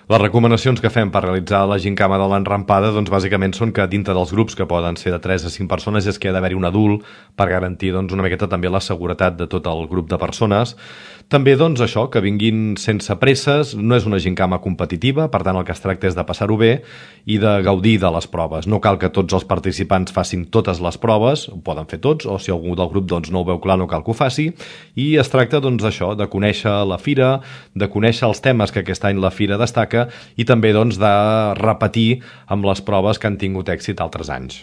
Les recomanacions que fem per realitzar la gincama de l'enrampada doncs bàsicament són que dintre dels grups, que poden ser de 3 a 5 persones, és que ha d'haver-hi un adult per garantir doncs, una miqueta també la seguretat de tot el grup de persones. També doncs això, que vinguin sense presses, no és una gincama competitiva, per tant el que es tracta és de passar-ho bé i de gaudir de les proves. No cal que tots els participants facin totes les proves, ho poden fer tots, o si algú del grup doncs, no ho veu clar no cal que ho faci, i es tracta doncs d'això, de conèixer la fira, de conèixer els temes que aquest any la fira destaca i també doncs de repetir amb les proves que han tingut èxit altres anys.